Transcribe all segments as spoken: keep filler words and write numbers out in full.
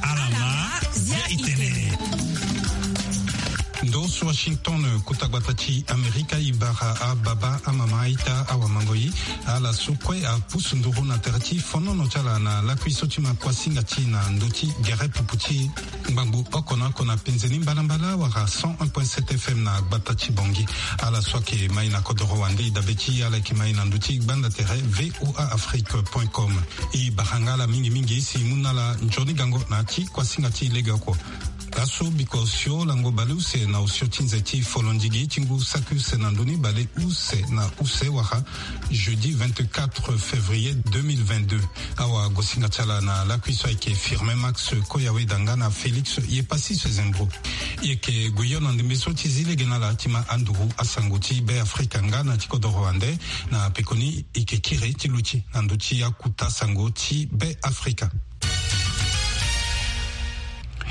Alama zia itene. Ndo so Washington, kota gbata ti Amerika, e bara ababa, amama, aita, awamangoi, ala so kue apusu nduru na tere ti fonono ti ala na lakui so ti ma kuasinga ti na ndö ti gere pupu ti ngbangbo oko na oko na penze ni mbalambala wala cent un point sept F M na gbata ti Bangui. Ala so ayeke mai na kodoro wande, e dabe ti ala yeke mai na ndö ti gbanda tere V O A Afrique point com. E bara nga ala mingi mingi si e mu na ala nzoni gango na ya ti kuasinga ti legeoko. Laso biko osio lango baleuse na osio ti nze ti folondigi ti ngu saki use na ndö ni baleuse na use wala jeudi vingt-quatre février deux mille vingt-deux. Awagosinga ti ala na lakui so ayeke Firmin Max Koyawe Danga na Félix Yepassis Zembro. E yeke gue hio na ndembe so ti zi lege na ala ti ma anduru asango ti Be Afrika nga na ti kodoro wande. Na pekoni e yeke kiri ti luti na ndö ti akuta sango ti Be Afrika.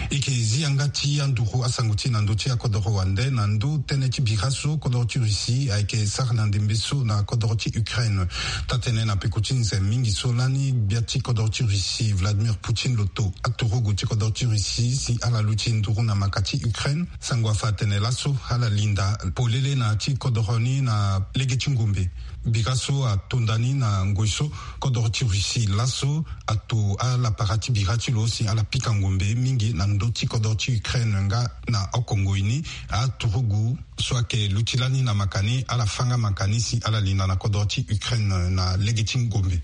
E yeke zi yanga ti anduru asango ti na ndö ti akodoro wande na ndö tënë ti bira so kodoro ti Russie ayeke sara na ndembe so na kodoro ti Ukraine. Taa-tënë na peko ti nze mingi so lani gbia ti kodoro ti Russie Vladimir Poutine lo to aturugu ti kodoro ti Russie si ala luti nduru na maka ti Ukraine. Sango afa atene laso ala linda polele na ya ti kodoro ni na lege ti ngombe. Bira so atonda ni na ngoi so kodoro ti Russie laso ato alapara ti bira ti lo si ala pika ngombe mingi na ndö ti kodoro ti Ukraine nga na oko ngoi ni. Aturugu so ayeke luti lani na maka ni ala fâ nga maka ni si ala linda na kodoro ti Ukraine na lege ti ngombe.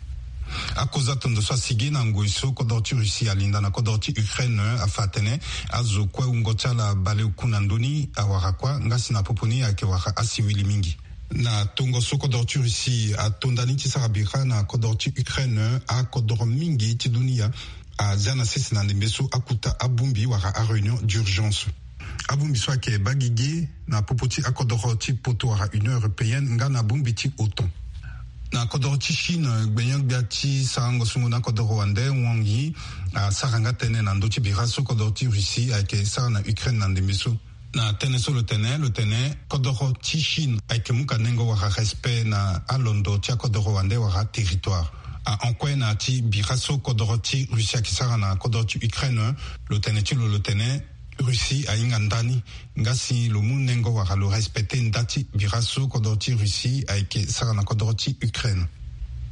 Akoza tondo so asigi na ngoi so kodoro ti Russie alinda na kodoro ti Ukraine afa atene azo kue wungo ti ala baleoku na ndö ni awara kuâ nga si na popo ni ayeke wara asiwili mingi. Na tongo so kodoro ti Russie atonda ni ti sara bira na kodoro ti Ukraine, akodoro mingi ti dunia azia na sese na ndembe so akuta abongbi wala aréunion d'urgence. Abongbi so ayeke baa gigi na popo ti akodoro ti poto wala Union européenne nga na bongbi ti OTAN. Na kodoro ti Chine, gbenyo-gbia ti sarango sungo na kodoro wande Wang Yi asara nga tënë na ndö ti bira so kodoro ti Russie ayeke sara na Ukraine na ndembe so. Na tënë so lo tene, lo tene kodoro ti Chine ayeke mu ka nengo wala respect na alondo ti akodoro wande wala territoire. Ahon kue na ya ti bira so kodoro ti Russie ayeke sara na kodoro ti Ukraine, lo tene ti lo lo tene Russie ahinga ndani nga si lo mu nengo wala lo respecte nda ti bira so kodoro ti Russie ayeke sara na kodoro ti Ukraine.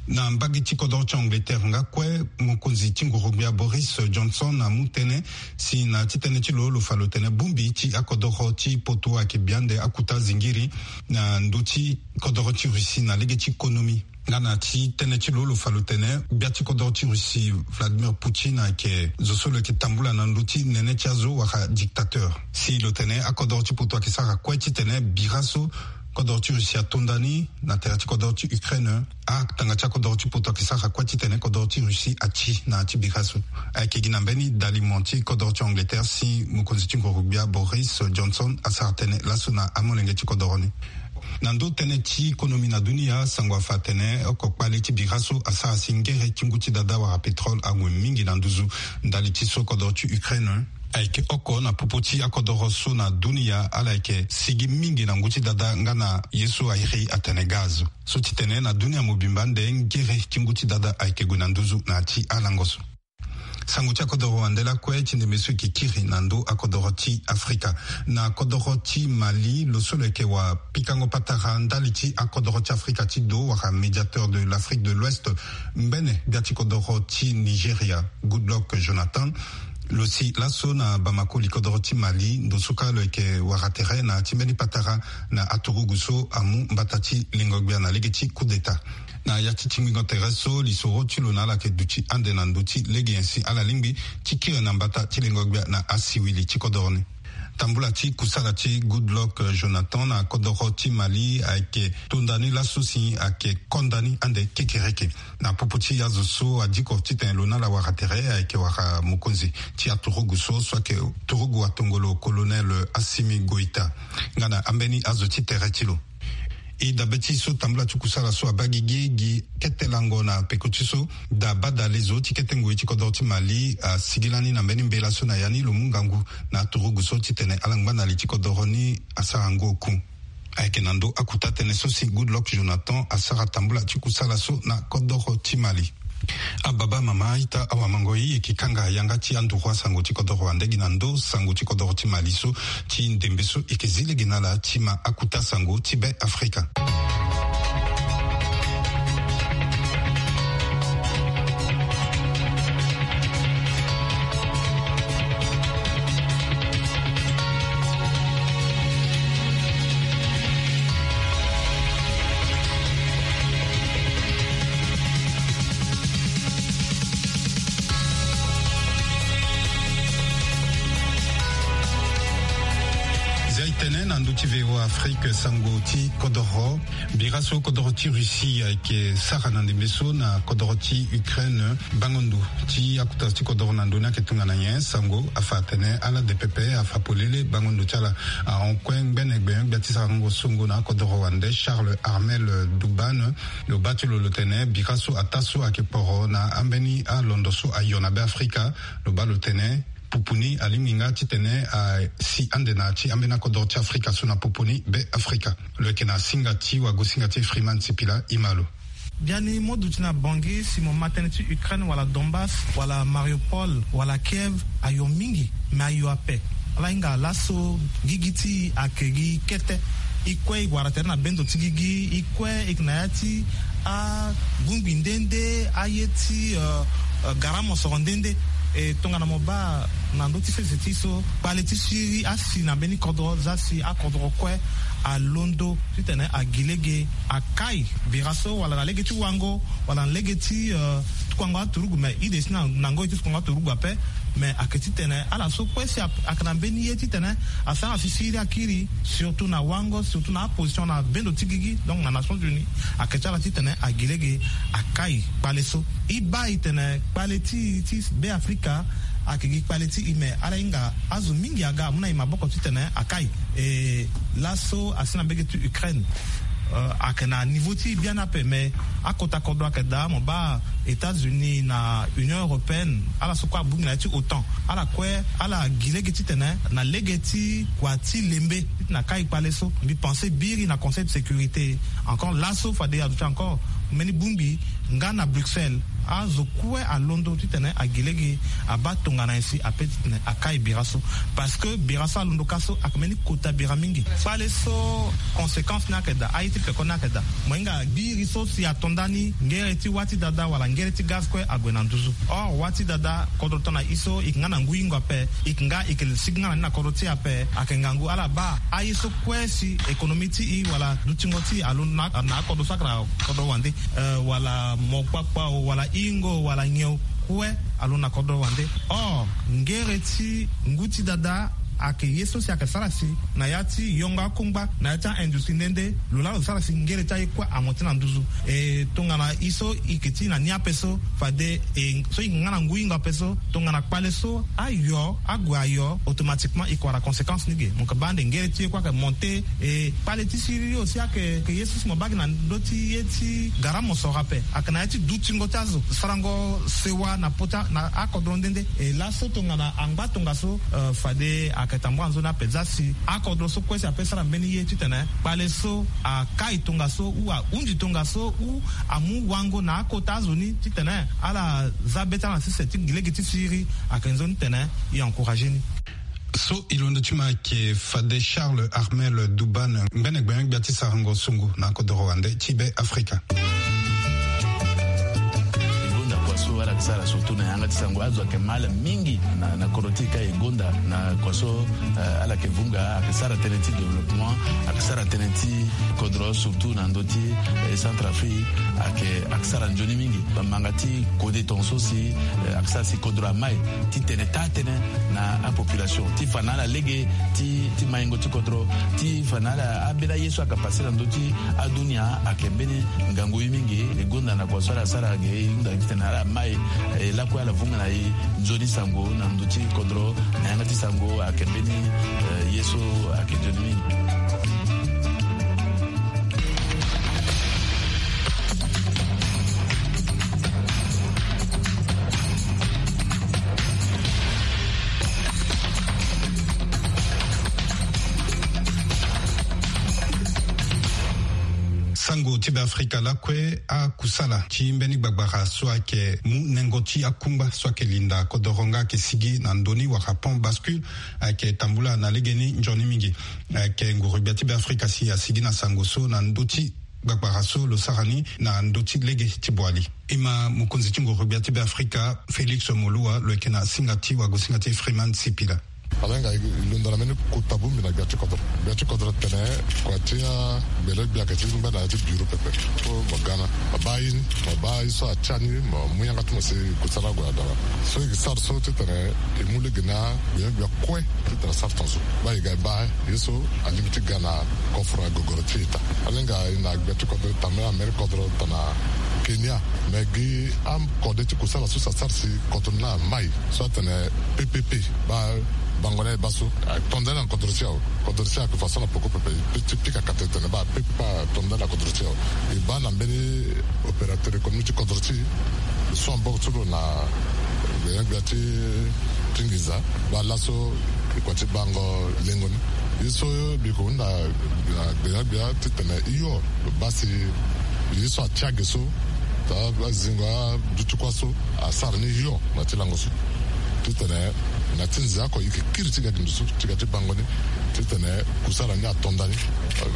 Na mbage ti kodoro ti Angleterre nga kue, mokonzi ti nguru-gbia Boris Johnson amu tënë si na ya ti tënë ti lo lo fa lo tene bongbi ti akodoro ti poto ayeke bi ande akuta zingiri na ndö ti kodoro ti Russie na lege ti konomi. Nga na ya ti tënë ti lo lo fa lo tene gbia ti kodoro ti Russie Vladimir Poutine ayeke zo so lo yeke tambula na ndö ti nene ti azo wala dictateur. Si lo tene akodoro ti poto ayeke sara kue titene bira so kodoro ti Russie atonda ni na tere ti kodoro ti Ukraine, atanga ti akodoro ti poto ayeke sara kue titene kodoro ti Russie ati na ya ti bira so. Ayeke gi na mbeni dalimo ti kodoro ti Angleterre si mokonzi ti nguru-gbia Boris Johnson asara tënë laso na amolenge ti kodoro ni. Na ndö tënë ti konomi na dunia, sango afa atene oko kpale ti bira so asara si ngere ti ngu ti dada wala pétrole ague mingi na nduzu ndali ti so kodoro ti Ukraine ayeke oko na popo ti akodoro so na dunia ala yeke sigi mingi na ngu ti dada nga na ye so a iri atene gaz. So ti tene na dunia mobimba nde ngere ti ngu ti dada ayeke gue na nduzu na ya ti alango so. Sango ti akodoro wande lakue ti ndembe so e yeke kiri na ndö akodoro ti Afrika. Na kodoro ti Mali, lo so lo yeke wapikango patara ndali ti akodoro ti Afrika ti do wala médiateur de l'Afrique de l'Ouest, ngbene gbia ti kodoro ti Nigeria, Goodluck Jonathan, lo si laso na Bamako, li kodoro ti Mali, ndo so kâ lo yeke wara tere na ya ti mbeni patara na aturugu so amu mbata ti lengo-gbia na lege ti coup d'État. Na ya ti tingbingo tere so, lisoro ti lo na ala yeke duti ande na ndö ti lege nyen si ala lingbi ti kiri na mbata ti lengo-gbia na asiwili ti kodoro ni. Tambula ti kusala ti Goodluck Jonathan na kodoro ti Mali ayeke tonda ni laso si ayeke konda ni ande kekereke. Na popo ti azo so adiko titene lo na ala wara tere ayeke wara mokonzi ti aturugu so, so ayeke turugu atongolo, colonel Assimi Goïta, nga na ambeni azo ti tere ti lo. E dabe ti so tambula ti kusala so abaa gigi, gi kete lango na peko ti so, da badale zo ti kete ngoi ti kodoro ti Mali asigi lani na mbeni mbela so na ya ni lo mu ngangu na aturugu so titene ala ngba na li ti kodoro ni asara ngu oku. Ayeke na ndö akuta tënë so si Goodluck Jonathan asara tambula ti kusala so na kodoro ti Mali. Ababa, mama, ita, awamango, e yeke kanga yanga ti anduru asango ti kodoro wande gi na ndo sango ti kodoro ti mali so, ti ndembe so e yeke zi lege na ala ti ma akuta sango ti be Afrika. Zia e tene na ndö ti V O A Afrique sango ti kodoro. Bira so kodoro ti Russie ayeke sara na ndembe so na kodoro ti Ukraine, bango ndo ti akuta ti kodoro na ndo ni ayeke tongana nyen? Sango afa atene ala de pepe afa polele bango ndo ti ala. Ahon kue ngbene gbe gbia ti sarango songo na akodoro wande Charles Armel Dubane, lo baa ti lo lo tene bira so ataa so ayeke poro na ambeni alondo so ayo na be Afrika. Lo baa lo tene pupu ni alingbi nga titene asi ande na ya ti ambeni akodoro ti Afrika so na popo ni be Afrika. Lo yeke na singa ti wagosinga ti Freeman Sipila, e ma lo. Biani mo duti na Bangui, si mo ma tënë ti Ukraine wala Donbass wala Mariupol wala Kiev, ayo mingi, me ayo ape. Ala hinga laso gigi ti e ayeke gi kete. E kue e wara tere na bendo ti gigi, e kue e yeke na ya ti abongbi nde nde, aye ti, euh, euh, gara mosoro nde nde. E tongana mo baa na ndö ti sese ti e so, kpale ti Syrie asi na mbeni kodro, zia si akodro kue alondo titene agi lege akai bira so, wala na lege ti wango, wala na lege ti, euh, tukuango aturugu, me e de si na, na ngoi ti tukuango aturugu ape. Me ayeke titene ala so kue si a, ayeke na mbeni ye titene asara si Syrie akiri, surtout na wango, surtout na aposition na bendo ti gigi, donc na Nations Unies, ayeke ti ala titene agi lege akai kpale so. E baa e tene kpale ti, ti be Afrika ayeke gi kpale ti e, me ala hinga azo mingi aga amu na e maboko titene akai. E laso asi na mbege ti Ukraine, euh, ayeke na niveau ti e biani ape, me akota kodro ayeke daa. Mo baa États-Unis na Union européenne, ala so kue abongbi na ya ti OTAN, ala kue ala gi lege titene na lege ti kua ti lembe titene akai kpale so. Mbi pense biri na Conseil de sécurité encore laso, fade aduti encore mbeni bongbi nga na Bruxelles, azo kue alondo titene agi lege abaa tongana nyen si ape titene akai bira so. Parce que bira so alondo ka so ayeke mbeni kota bira mingi. Kpale so conséquence ni ayeke daa, aye ti peko ni ayeke daa. Mo hinga biri so si ato ndani, ngere ti wâ ti dada wala ngere ti gaz kue ague na nduzu. Or wâ ti dada, kodro tongana e so e yeke nga na ngu hingo ape, e yeke nga, e yeke sigi nga na ni na kodro ti e ape. Ayeke ngangu ala baa aye so kue si économie ti e wala dutingo ti e alondo na, na akodro so ayeke na kodro wande, euh, wala mo kpakpa o, wala hingo, wala nyen o, kue alondo na kodro wande. Or ngere ti ngu ti dada ayeke ye so si ayeke sara si na ya ti yongo akungba, na ya ti a-industrie nde nde, lo laa lo sara si ngere ti aye kue amonté na nduzu. E tongana e so e yeke ti na ni ape so, fade e so e yeke nga na ngu hingo ape so, tongana kpale so ayo ague ayo, automatiquement e yeke wara conséquence ni ge. Mo yeke baa ande ngere ti ye kue ayeke monté. E kpale ti Syrie aussi ayeke, ayeke ye so si mo baa gi na ndö ti ye ti gara mosoro ape, ayeke na ya ti dutingo ti azo, sarango sewa na pota na akodro nde nde. E laso tongana angba tongaso, euh, fade ayeke tambula nzoni ape, zia si akodro so kue si ape sara mbeni ye titene kpale so akai tongaso ou ahunzi tongaso ou amu wango na akota azo ni titene ala za be ti ala na sese ti gi lege ti Syrie, ayeke nzoni titene e encourager ni. So e londo ti ma ayeke fade Charles Armel Dubane, ngbene gbene gbia ti sarango songo na kodoro wande ti be Afrika. E gonda kua so ala yeke sara surtout na yanga ti sango, azo ayeke mal mingi na, na kodro ti e ka. E gonda na kua so, eh, ala yeke vunga, ayeke sara tënë ti développement, ayeke sara tënë ti kodro surtout na ndö ti, eh, Centrafrique, ayeke, ayeke sara nzoni mingi. Bamanga ti kode tongaso si, eh, ayeke sara si kodro amai titene taa tënë na apopulation, ti fa na ala lege ti, ti maingo ti kodro, ti fa na ala ambeni aye so ayeke pase na ndö ti adunia. Ayeke mbeni ngangu ye mingi. E gonda na kua so ala sara ge, e hunda titene ala mai, eh, lakue ala vunga na e nzoni sango na ndö ti kodro, na yanga ti sango ayeke mbeni, eh, ye so ayeke nzoni mingi. Tango ti Beafrika lakue, akusala ti mbeni gbagbara so ayeke mu nengo ti akungba so ayeke linda kodoro nga ayeke sigi na ndö ni wala pont bascule ayeke tambula na legeni nzoni mingi. Ayeke nguru-gbia ti Beafrika si asigi na sango so na ndö ti gbagbara so lo sara ni na ndö ti lege ti Boali. E ma mokonzi ti nguru-gbia ti Beafrika Félix Moloua lo yeke na singa ti wagosinga ti Freeman Sipila. Ala hinga e londo na mbeni kota bongbi na gbia ti kodro. Gbia ti kodro tene kua ti agbele gbia ayeke ti ngba na ya ti bureau pepe. So mo ga na, mo baa ye ni, mo baa ye so atia ni, mo mu yanga ti mo si kusala ague na dara. So e ke sara so titene e mu lege na gbia gbia kue titene asara tongaso. Baa e ga e baa ye so alingbi ti ga na koforo na gogoro ti eta. Ala hinga e na gbia ti kodro tene na mbeni kodro tene na Kenya. Me gi akode ti kusala so si asara si kodro ni amai so atene P P P, baa bango ni aye baa so ato ndani na kodro ti e awe. Kodro ti e ayeke façon na peko pepe. Ti pika kate tene baa P P P ato ndani na kodro ti e awe. E baa na mbeni opérateur économique ti kodro ti e, so ambok ti lo na gbia gbia ti ti nginza, baa laso e kua ti bango lengo ni. Ye so mbi ko hunda na gbia gbia titene hio lo baa si ye so atia ge so, taa azingo aduti kuâ so asara ni hio na ti lango so. Titene na ti nze oko e ke kiri ti ga gi ndo so ti ga ti bango ni, titene kusala ni ato ndani.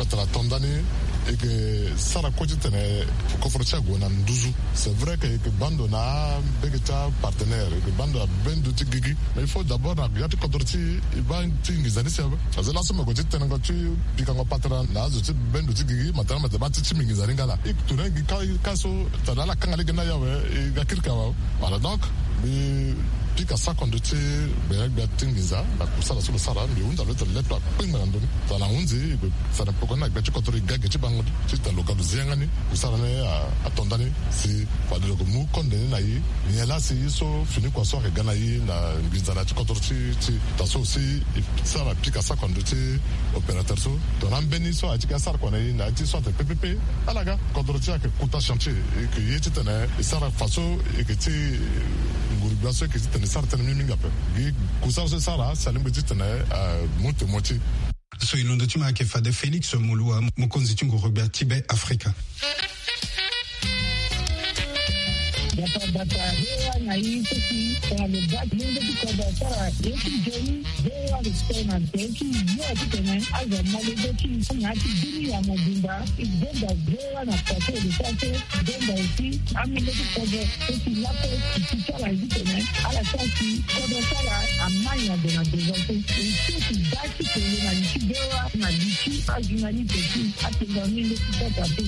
Tara ato ndani, e ke sara kue titene koforo ti e ague na nduzu. C'est vrai que e ke baa ndo na mbege ti apartenaire, e ke baa ndo na bendo ti gigi. Mais il faut d'abord na ya ti kodro ti e, e baa ti nginza ni si awe. Aza laso me gue ti tenengo ti pikango patara na azo ti bendo ti gigi, matara mate baa ti ti mbi nginza ni nga laa. E ke tourner gi ka, ka so tara ala kanga lege ni awe, e ga kiri ka awe. Voilà, donc mbi pika sako ndo ti gbia gbia ti nginza na kusala so lo sara, mbi hunda lo tene le to akpengba na ndö ni. Tara na hunzi e gue sara peko ni na gbia ti kodro e ga ge ti bango ni titene lo ga lo zi yanga ni. Kusala ni a, ato ndani si fade lo ke mu konde ni na e. Nyen laa si ye so fini kua so ayeke ga na e na nginza na ya ti kodro ti, ti taa so si e sara pika sako ndo ti opérateur so. Tongana ambeni so aye ti ga sara kua na e na ya ti so atene P P P, ala ga. Kodro ti e ayeke kota chantier, e yeke ye titene e sara fa so e yeke ti nguru-gbia so e yeke titene e sara tënë mingi mingi ape. Gi kusala so e sara si alingbi titene, eh, amu temo ti e. So e londo ti ma ayeke fade Félix Moloua, mokonzi ti nguru-gbia ti Beafrika. Bata bata, V O A na e so si tongana lo baa ti lenge ti kodro asara ye ti nzoni, V O A respect na nze ti yo titene azo amalenge ti e na ya ti bini ya mobimba. E zonza V O A na kua so e lo sara so, e zonza aussi amolenge ti kodro so si lakue e ti sara ye titene ala sara si kodro ti ala amai na gue na devant so. E so si baa ti kele na li ti V O A na li ti ajournaliste ti atenga amolenge ti kodro ape.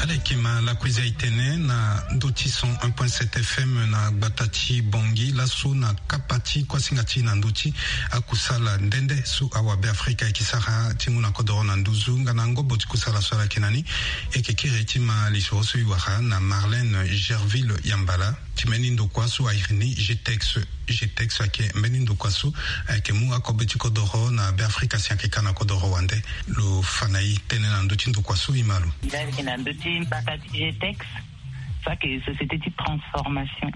Ala yeke ma lakui zia e tene na ndö ti cent un point sept F M na gbata ti Bangui laso na kapa ti kuasinga ti e na ndö ti akusala nde nde so awabe Afrika e yeke sara ti mu na kodoro na nduzu nga na ngobo ti kusala so ala yeke na ni. E yeke kiri ti ma lisoro so e wara na Marlène Gerville Yambala. Ti mbeni ndokua so a iri ni G T E X. G T E X ayeke mbeni ndokua so ayeke mu akobe ti kodoro na Beafrika si ayeke ka na kodoro wande. Lo fa na e tënë na ndö ti ndokua so e ma lo. Mbi ayeke na ndö ti mbaka ti G T E X. So ayeke société ti transformation.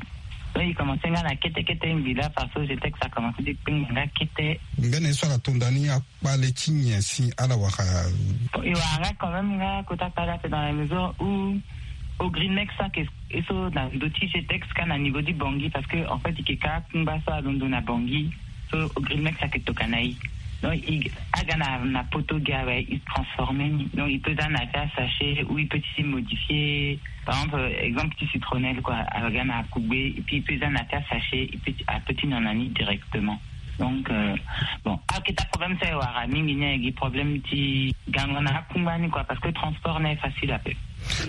Donc e commencé nga na kete kete ngbi laa parce que G T E X a commencé ti kpengba nga kete. Mbeni ye so ala to nda ni akpale ti nyen si ala wara? Bon, e wara nga quand même nga kota kpale ape dans la mesure où Ogrimex so ayeke e so na ndö ti G T E X ka na niveau ti Bangui, parce que en fait e yeke ka akungba so alondo na Bangui. So Ogrimex ayeke tokua na e. Donc e aga na, na poto gi awe, e transformer ni. Donc e peut za na ya ti asachet ou e peut ti modifier. Par exemple, exemple ti citronnelle quoi, aga na akugbe et puis e peut za na ya ti asachet, e peut ti, a peut ti nyon na ni directement. Donc, euh, bon, aketa problème so e wara mingi ni ayeke problème ti gango na akungba ni quoi, parce que transport ni aye facile ape.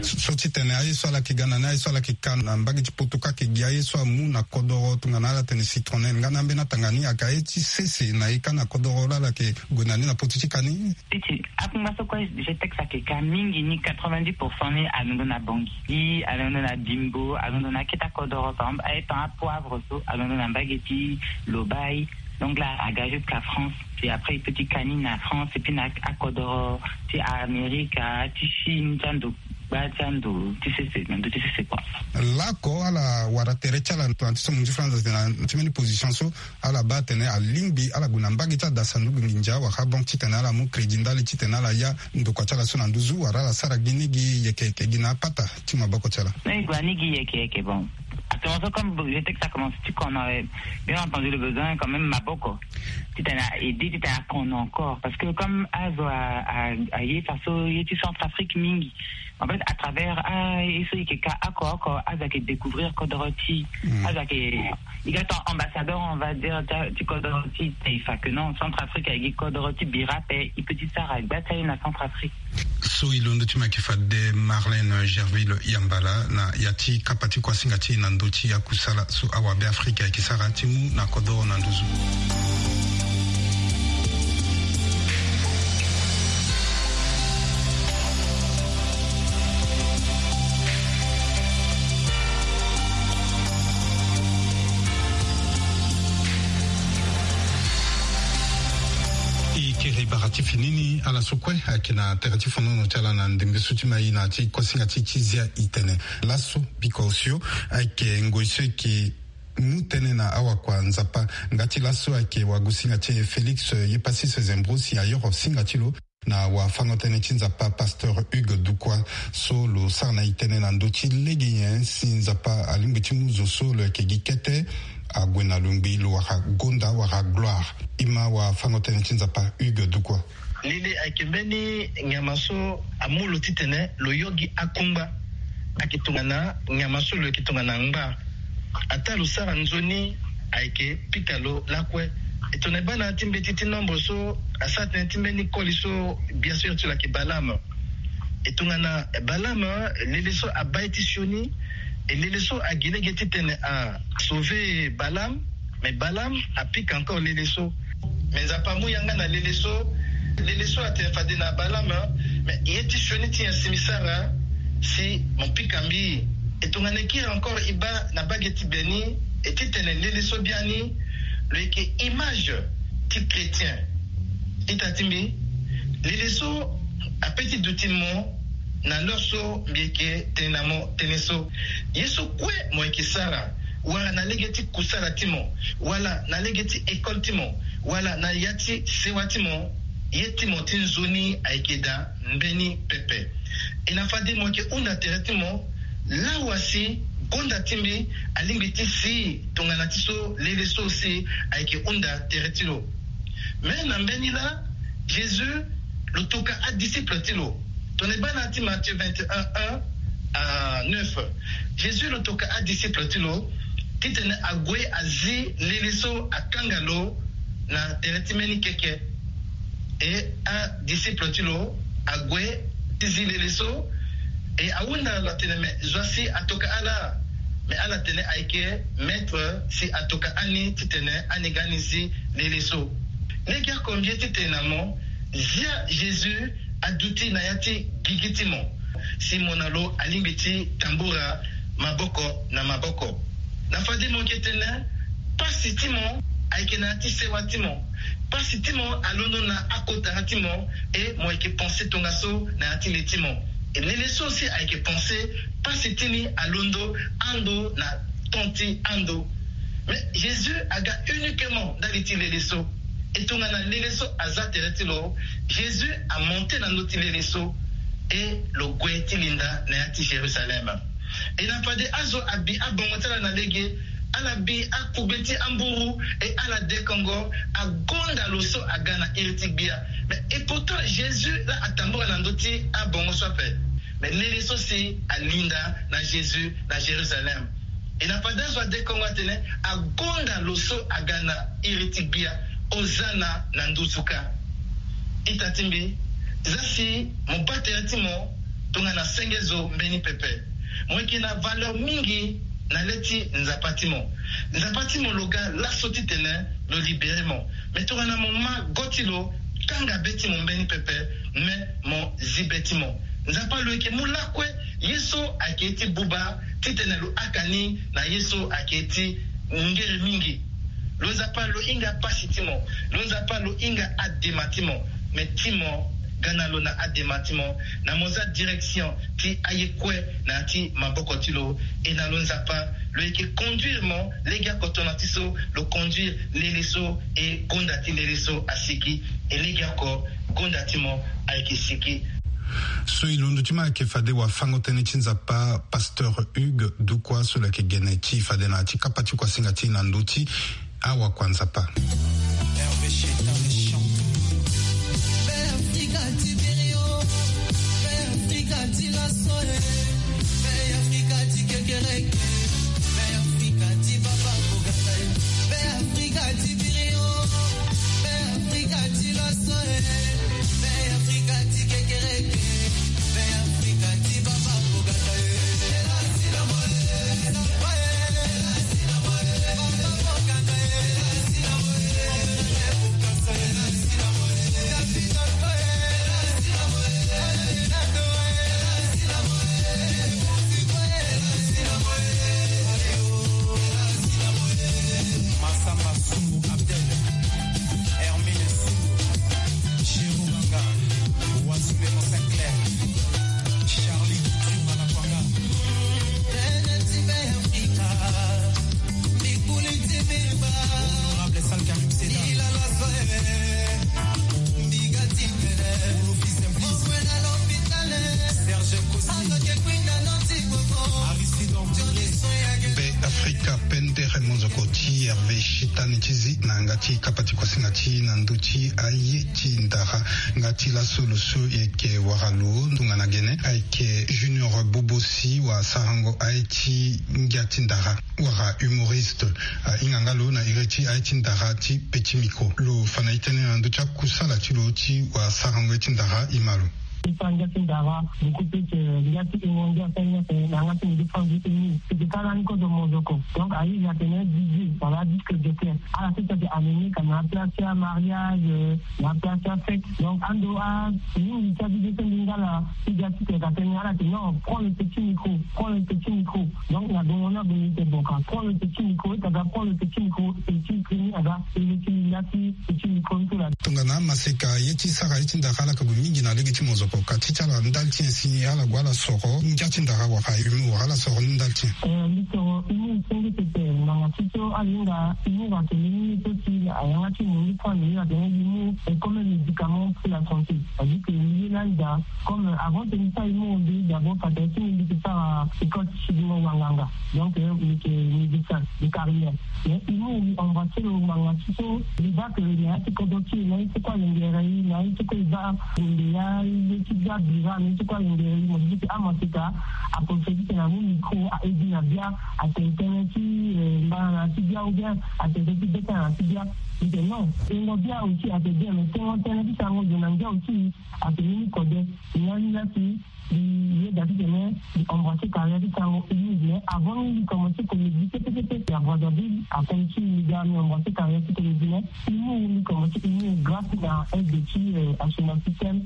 So, so ti tene aye so ala yeke ga na ni, aye so ala yeke ka na mbage ti poto kâ, ayeke gi aye so amu na kodoro tongana ala tene citronnelle nga na ambeni atanga ni, ayeke aye ti sese na e kâ na kodoro laa ala yeke gue na ni na poto ti ka ni? Ti ti akungba so kue G T E X ayeke ka mingi ni, quatre-vingt-dix pour cent ni alondo na Bangui, alondo na Bimbo, alondo na akete akodoro. Par exemple aye temps apoivre so alondo na mbage ti Lobaye. Donc là aga jusqu'à France, puis après e peut ti ka ni na France et puis na akodoro ti Amerika, ti Chine, ti ando. Gba ti ando ti sese na ndö ti sese kua. Lako ala wara tere ti ala na ti so mo nzi franza tene na ti mbeni position so ala baa atene alingbi ala gue na mbage ti adasa ndugu nginza wala banque titene ala mu crédit ndali titene ala ya ndokua ti ala so na nduzu wala ala sara gi ni gi yeke yeke gi na apata ti maboko ti ala. Ni gue ni gi yeke yeke bon. Actuellement so comme je sais que ça commence ti kono, bien entendu le besoin quand même maboko titene a aide titene akono encore parce que comme azo aye faso ye ti Centrafrique mingi. En fait à travers a ye so yeke ka oko oko azo ayeke découvrir kodoro ti azo ayeke i ga ton ambassadeur on va dire ti kodoro ti taifa que non Centrafrique ayeke gi kodoro ti bira ape. I pe ti sara gba ti aye na Centrafrique. So i londo ti ma yeke fade Marlène Gerville Yambala na ya ti kapa ti kuasinga ti e na ndö ti akusala so awabe Afrika ayeke sara ti mu na kodoro na nduzu. E kere bara ti fini ni ala so kue ayeke na tere ti fonono ti ala na ndembe so ti ma e na ya ti kuasinga ti e ti zia e tene laso biko osio ayeke ngoi so e yeke mu tënë na awakua Nzapa. Nga ti laso ayeke wagosinga ti e Félix Yepasis Zembro si ayoro singa ti lo na wafango-tënë ti Nzapa pasteur Hugues Dukwa so lo sara na e tënë na ndö ti lege nyen si Nzapa alingbi ti mu zo so lo yeke gi kete ague na lo ngbii lo wara gonda wara gloire. E ma wafango-tënë ti Nzapa Hugues Dukwa. Lili ayeke mbeni nyama so amu lo titene lo yo gi akungba. Ayeke tongana nyama so lo yeke tongana ngba. Ataa lo sara nzoni ayeke pika lo lakue. E tongana e baa na ya ti mbeti ti nombre so asara tënë ti mbeni koli so bien sûr ti lo ayeke Balaam. E tongana Balaam lele so abaa ye ti sioni. E lele so agi lege titene a sauver Balaam. Mais Balaam apika encore lele so. Mais Nzapa amu yanga na lele so. Lele so atene fade na Balaam, mais ye ti sioni ti nyen si mbi sara si mo pika mbi? E tongana e kiri encore e baa na bage ti beni e titene lele so biani lo yeke image ti chrétien. Ita ti mbi, lele so ape ti duti mo na l'heure so mbi yeke tene na mo tënë so. Ye so kue mo yeke sara wala na lege ti kusala ti mo wala na lege ti école ti mo wala na ya ti sewa ti mo, ye ti mo ti nzoni ayeke daa mbeni pepe. E na fade mo yeke hunda tere ti mo lawa si gonda ti mbi alingbi ti si tongana ti so lele so si ayeke hunda tere ti lo. Me na mbeni laa Jésus lo toka adisciple ti lo. Tongana e baa na ya ti Matthieu vingt et un un à neuf, Jésus lo toka adisciple ti lo titene ague azi lele so akanga lo na tere ti mbeni keke. E adisciple ti lo ague ti zi lele so. E ahunda lo atene me zo asi atoka ala. Me ala tene ayeke maître si atoka ani titene ani ga ani zi lele so. Lege oko mbi ye ti tene na mo, zia Jésus aduti na ya ti gigi ti mo si mo na lo alingbi ti tambura maboko na maboko. Na fade mo yeke tene pasi ti mo ayeke na ya ti sewa ti mo. Pasi ti mo alondo na akotara ti mo. E mo yeke pense tongaso na ya ti le ti mo. E lele so si ayeke pense pasi ti ni alondo ando na ton ti ando. Mais Jésus aga uniquement ndali ti lele so. E tongana lele so aza tere ti lo, Jésus amonte na ndö ti lele so. E lo gue ti linda na ya ti Jérusalem. E na fade azo abi abongo ti ala na lege, ala bi akugbe ti amburu, e ala dekongo agonda lo so aga na iri ti gbia. Mais e pourtant Jésus laa atambula na ndö ti abongo so ape. Mais lele so si alinda na Jésus na Jérusalem. E na fade azo adekongo atene agonda lo so aga na iri ti gbia. Ozana na nduzu kâ. Ita ti mbi, za si mo baa tere ti mo tongana senge zo mbeni pepe. Mo yeke na valeur mingi na le ti Nzapa ti mo. Nzapa ti mo lo ga laso titene lo libere mo. Mais tongana mo ma go ti lo, kanga be ti mo mbeni pepe, me mo zi be ti mo. Nzapa lo yeke mu lakue ye so ayeke ye ti buba titene lo haka ni na ye so ayeke ye ti ngere mingi. Lo Nzapa lo hinga pasi ti mo. Lo Nzapa lo hinga adema ti mo. Me ti mo Ga na lo na adema ti mo, na mo za direction ti aye kue na ya ti maboko ti lo. E na lo Nzapa, lo yeke conduire mo legeoko tongana ti so lo conduire lele so, e gonda ti lele so asigi. E legeoko, gonda ti mo ayeke sigi. So e londo ti mo ayeke fade wafango-tënë ti Nzapa, Pasteur Hugues Dukwa, so lo yeke gene ti fade na ya ti kapa ti kuasinga ti e na ndö ti awakua Nzapa. Massamba Sumbu Abdel, Hermine Sumbu, Chérubanga, Wasule Monseigneur, Charlie Kiuma Lakwanga. Honorable Sal Karim Seda. Serge Kosi. Aristide Ortolé. Be Afrika pendere mozoko ti Hervé Shitani ti zi na yanga ti kapa ti kuasinga ti e na ndö ti aye ti ndara. Nga ti laso lo so e yeke wara lo tongana gene ayeke Junior Bobosi, wa sarango aye ti ngia ti ndara wala humoriste. Ahinga nga lo na iri ti aye ti ndara ti Petit Micro. Lo fa na e tënë na ndö ti akusala ti lo ti wa sarango ye ti ndara, e ma lo. E fa ngia ti ndara, beaucoup plus, euh, ngia ti ingo, ngia ti ngia ti na yanga ti mo défendre uni. C'était ça lani kozo mozoko. Donc, ayizi atene D J, wala disque jockey. Ala sese ayeke amené ka na place ti amariage, euh, na place ti afête. Donc, ando a mingi ti adudu so mbi nga la, ti ga ti tene ka tene, ala tene non, prends le petit micro, prends le petit micro. Donc, na gongo ni ague ni tene bon ka prends le petit micro, e ta ga prends le petit micro, e ti primi aga, e le ti linda ti petit micro ni so la. Tongana maseka ye ti sara ye ti ndara ala ka gue mingi na lege ti mozoko, ka ti ti ala ndali ti nyen si ala gue ala soro ngia ti ndara wala humour, ala soro ni ndali ti nyen? Eh, mbi soro humour senge pepe, ngbanga ti so ala hinga humour atene ni so si ayanga ti mo ni so ane atene humour est comme un médicament pour la santé. C'est-à-dire que mbi ye lani daa, comme avant tene mbi sara humour, mbi d'abord fade ti mbi, mbi yeke sara école ti sidingo wanganga. Donc, euh, mbi yeke médecin de carrière. Mais humour mbi embrasser lo ngbanga ti so, mbi baa que na ya ti kodro ti e, na ye ti kue alengere e, na ye ti kue e baa gonde ya, ye ti bia bira, na ye ti kue alengere e, mo di que amaseka, aprofitere ti tene amu micro, a aiguille na bia, atene tënë ti, euh, mbana na ya ti bia, ou bien atene tënë ti beta na ya ti bia. Mbi tene non, tengo bia aussi ate bien, mais tengo tënë ti sarango zo na ngia aussi ate ni ni kode. Ni lani la si mbi yeda titene mbi embrasser carrière ti sarango humour, mais avant ni mbi commencer comédie pepe pepe, c'est à Brazzaville, après ti mbi ga mbi embrasser carrière ti comédie, mais humour mbi commencer humour grâce na aide ti, euh, Assoumani Système,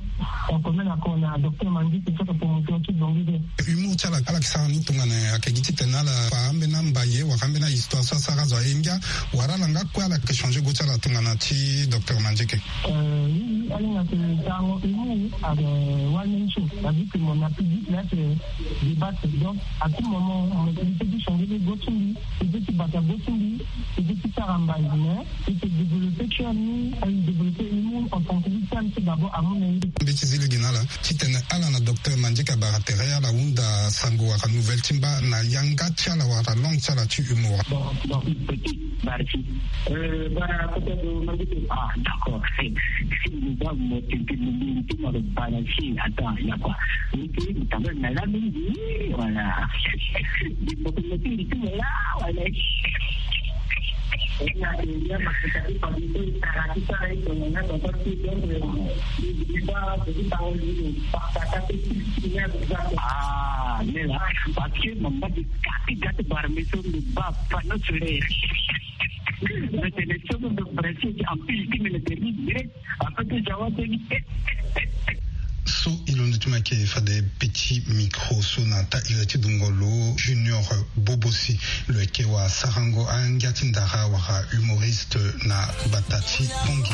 en commun accord na docteur Mangi, c'est ça que promoteur ti Bongi de. Humour ti ala, ala yeke sara ni tongana ayeke gi titene ala fa ambeni ambaye wala ambeni ahistoire so asara azo aye ngia, wala ala nga kue ala yeke changer go ti ala tongana ti docteur Mandieke? Euh, oui, oui, ala hinga tene sarango humour, euh, one man show. C'est-à-dire que mon public là, c'est débattre. Donc, à tout moment, mo peut ti changer go ti mbi, mo peut ti bata go ti mbi, mo peut ti sara mbai, mais e yeke développer ti ani, e développer humour en tant que victime, c'est d'abord amu na ye. Mbi ti zi lege na ala titene ala na docteur Mandieke abara tere ala hunda sango wala nouvelle ti mba na yanga ti ala wala langue ti ala ti humour. Bon, bon, petit, barki. Euh, bara kota do Mandieke. Ah, d'accord. Si, si, mo ba mo tente mo bi ti mo lo barki. Attends, ya quoi. Ni ti mo tamba na la mingi, voilà. Di mo ko mo ti mo la, voilà. Ah, nela, parce que mama di kati gati barme so mbi ba fano sure. Mais tene so mbi brasi ti ampil ti mene teri direct. Après ti jawa teri. So e londo ti mo ayeke fade petit micro so na ta iri ti dungo lo Junior Bobosi. Lo yeke wa sarango angia ti ndara wala humoriste na gbata ti Pongi.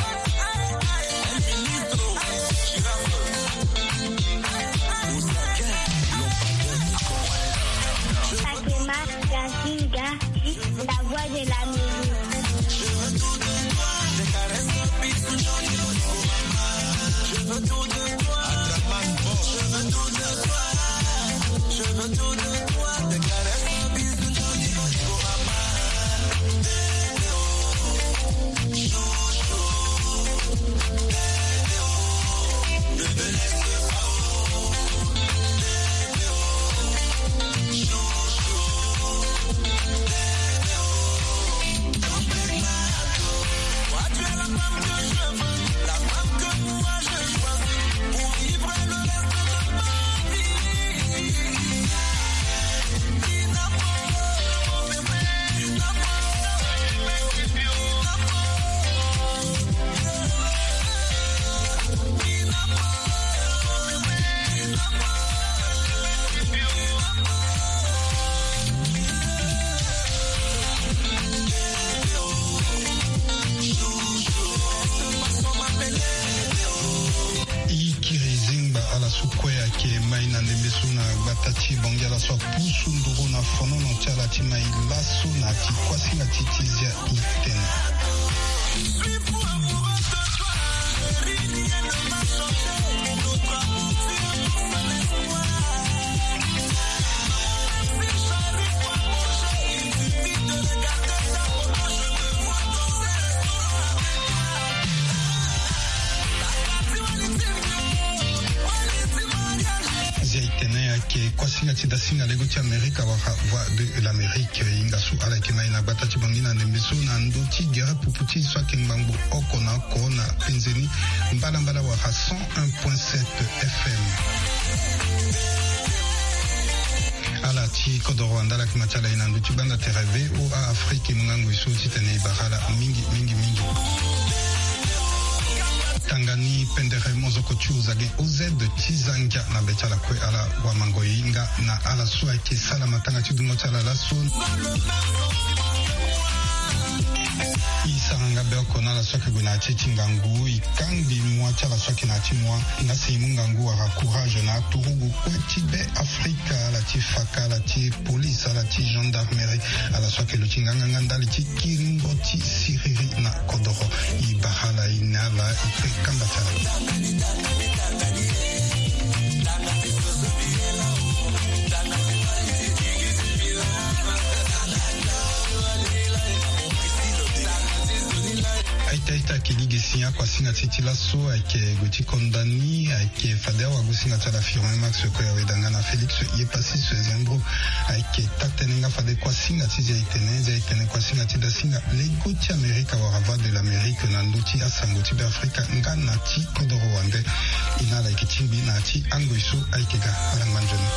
Ikiri zingba ala su kue ayeke mai na ndembe so na gbata ti Bangui, ala so apusu nduru na fonono ti ala ti mai laso na ya ti kuasinga ti ti zia itene. Zia itene ayeke kuasinga ti dasinga lego ti Amerika wala Voix de l'Amérique. Hinga so ala yeke mai na gbata ti Bangui na ndembe so na ndö ti gere pupu ti so ayeke ngbangbo oko na oko na penze ni mbalambala wala cent un point sept F M. Ala ti kodoro wande ala yeke ma ti ala ye na ndö ti gbanda tere V O A Afrique, e mu ngangu e so titene e bara ala mingi mingi mingi. Tanga ni pendere mozoko ti ozage O Z ti zangia na be ti ala kue ala wamango e hinga na ala so ayeke sala matanga ti dungo ti ala laso. E sara nga be oko na ala so ayeke gue na ya ti e ti ngangu, e kangbi mua ti ala so ayeke na ya ti mua. Nga si e mu ngangu wala courage na aturugu kue ti be Afrika, ala ti faka, ala ti police, ala ti gendarmerie, ala so ayeke luti nganganga ndali ti kiringo ti siriri na kodoro. E bara ala, e ne ala, e kpe kamba ti ala. Aita aita, ayeke gi gi si akuasinga ti e ti laso ayeke gue ti konda ni, ayeke fade awagosinga ti ala Firmin Max Koyaweda nga na Félix Yepassis Zembro. Ayeke taa-tënë nga fade kuasinga ti zia itene, zia itene kuasinga ti dasinga lego ti Amerika wala Voix de l'Amérique na ndö ti asango ti Beafrika nga na ti kodoro wande. E na ala yeke tingbi na ya ti angoi so ayeke ga. Ala ngba nzoni.